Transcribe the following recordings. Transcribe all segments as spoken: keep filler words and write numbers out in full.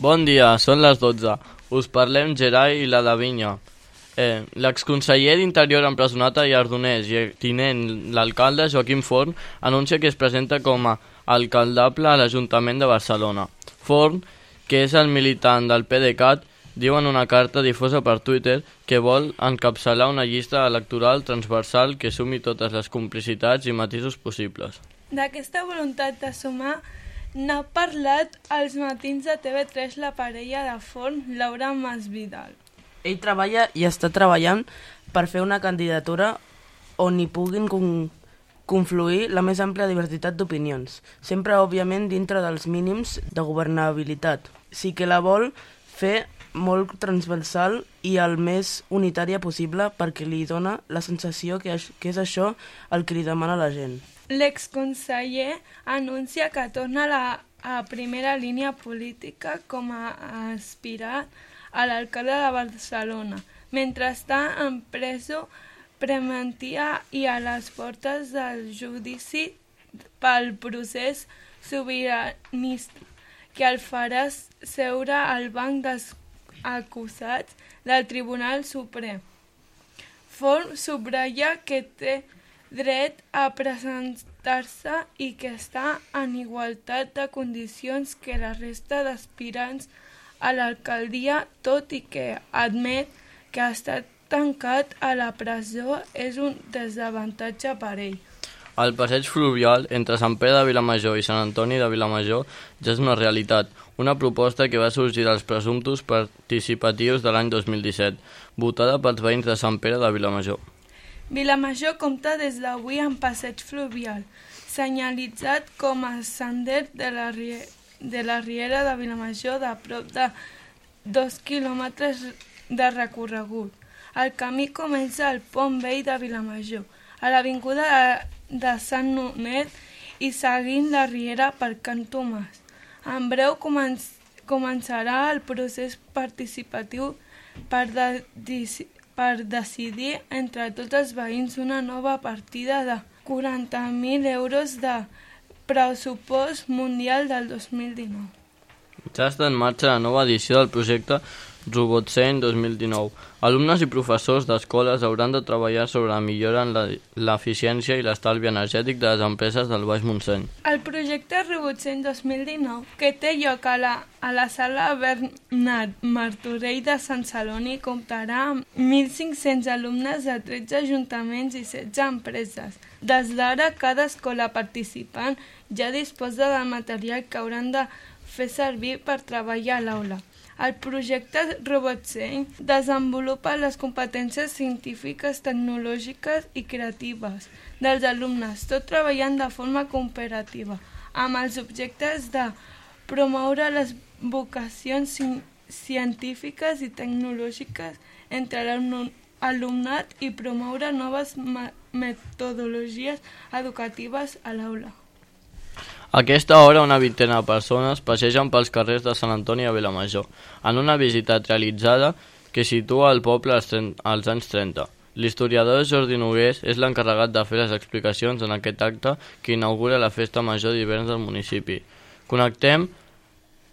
Bon dia, són les dotze. Us parlem Gerai i la Davinya. Eh, L'exconseller d'Interior empresonat a Llardoners i tinent l'alcalde Joaquim Forn anuncia que es presenta com a alcaldable a l'Ajuntament de Barcelona. Forn, que és el militant del PDeCAT, diu en una carta difosa per Twitter que vol encapçalar una llista electoral transversal que sumi totes les complicitats i matisos possibles. D'aquesta voluntat de sumar n'ha parlat als matins de T V tres la parella de Forn, Laura Masvidal. Ell treballa i està treballant per fer una candidatura on hi puguin con confluir la més àmplia diversitat d'opinions, sempre, òbviament, dintre dels mínims de governabilitat. Sí que la vol fer molt transversal i el més unitària possible perquè li dona la sensació que, que és això el que li demana la gent. L'exconseller anuncia que torna a la a primera línia política com a aspirant a l'alcalde de Barcelona, mentre està en presó preventiva i a les portes del judici pel procés sobiranista, que el farà seure al banc dels acusats del Tribunal Suprem. Forn subratlla que té dret a presentar-se i que està en igualtat de condicions que la resta d'aspirants a l'alcaldia, tot i que admet que ha estat tancat a la presó és un desavantatge per ell. El passeig fluvial entre Sant Pere de Vilamajor i Sant Antoni de Vilamajor ja és una realitat, una proposta que va sorgir dels presumptos participatius de l'any dos mil disset, votada pels veïns de Sant Pere de Vilamajor. Vilamajor compta des d'avui amb passeig fluvial, senyalitzat com a sender de la, de la Riera de Vilamajor de prop de dos quilòmetres de recorregut. El camí comença al Pont Vell de Vilamajor, a l'avinguda de, de Sant Nonet i seguint la Riera per Can Tomàs. En breu començ, començarà el procés participatiu per, de, per decidir entre tots els veïns una nova partida de quaranta mil euros de pressupost mundial del dos mil dinou. Ja està en marxa la nova edició del projecte RobotSeny dos mil dinou. Alumnes i professors d'escoles hauran de treballar sobre la millora en l'eficiència i l'estalvi energètic de les empreses del Baix Montseny. El projecte RobotSeny dos mil dinou, que té lloc a la, a la sala Bernat Martorell de Sant Celoni, comptarà amb mil cinc-cents alumnes de tretze ajuntaments i setze empreses. Des d'ara, cada escola participant ja disposa del material que hauran de fer servir per treballar a l'aula. El projecte RobotSeny desenvolupa les competències científiques, tecnològiques i creatives dels alumnes, tot treballant de forma cooperativa, amb els objectes de promoure les vocacions científiques i tecnològiques entre l'alumnat i promoure noves metodologies educatives a l'aula. A aquesta hora, una vintena de persones passegen pels carrers de Sant Antoni de Vilamajor, en una visita realitzada que situa el poble als, als anys trenta. L'historiador Jordi Nogués és l'encarregat de fer les explicacions en aquest acte que inaugura la festa major d'hivern del municipi. Connectem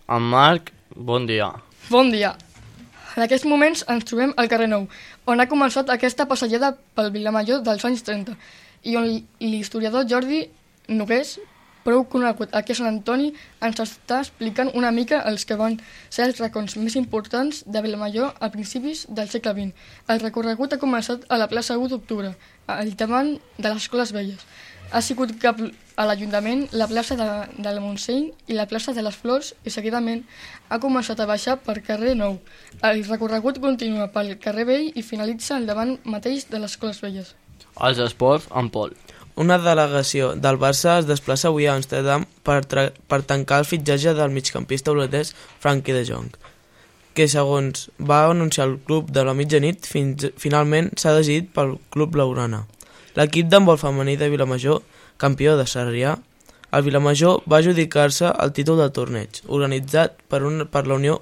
amb Marc. Bon dia. Bon dia. En aquests moments ens trobem al carrer Nou, on ha començat aquesta passejada pel Vilamajor dels anys trenta, i on l'historiador Jordi Nogués, prou conegut aquí a Sant Antoni, ens està explicant una mica els que van ser els racons més importants de Vilamajor a principis del segle vint. El recorregut ha començat a la plaça u d'octubre, al davant de les Escoles Velles. Ha sigut cap a l'Ajuntament, la plaça de, del Montseny i la plaça de les Flors i seguidament ha començat a baixar per carrer Nou. El recorregut continua pel carrer Vell i finalitza al davant mateix de les Escoles Velles. Els esports amb Pol. Una delegació del Barça es desplaça avui a Amsterdam per, per tancar el fitxatge del migcampista holandès Frenkie de Jong, que segons va anunciar el club de la mitjanit, fins, finalment s'ha decidit pel club blaugrana. L'equip d'handbol femení de Vilamajor, campió de Sarrià, el Vilamajor va adjudicar-se el títol del torneig, organitzat per, un, per la Unió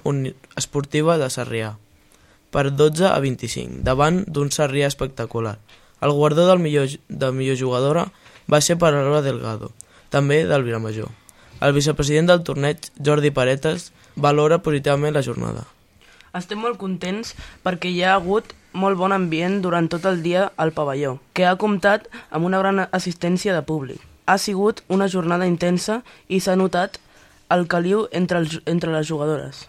Esportiva de Sarrià, per dotze a vint-i-cinc, davant d'un Sarrià espectacular. El guardó del millor, de millor jugadora va ser per Alba Delgado, també del Vilamajor. El vicepresident del torneig, Jordi Paretes, valora positivament la jornada. Estem molt contents perquè hi ha hagut molt bon ambient durant tot el dia al pavelló, que ha comptat amb una gran assistència de públic. Ha sigut una jornada intensa i s'ha notat el caliu entre, els, entre les jugadores.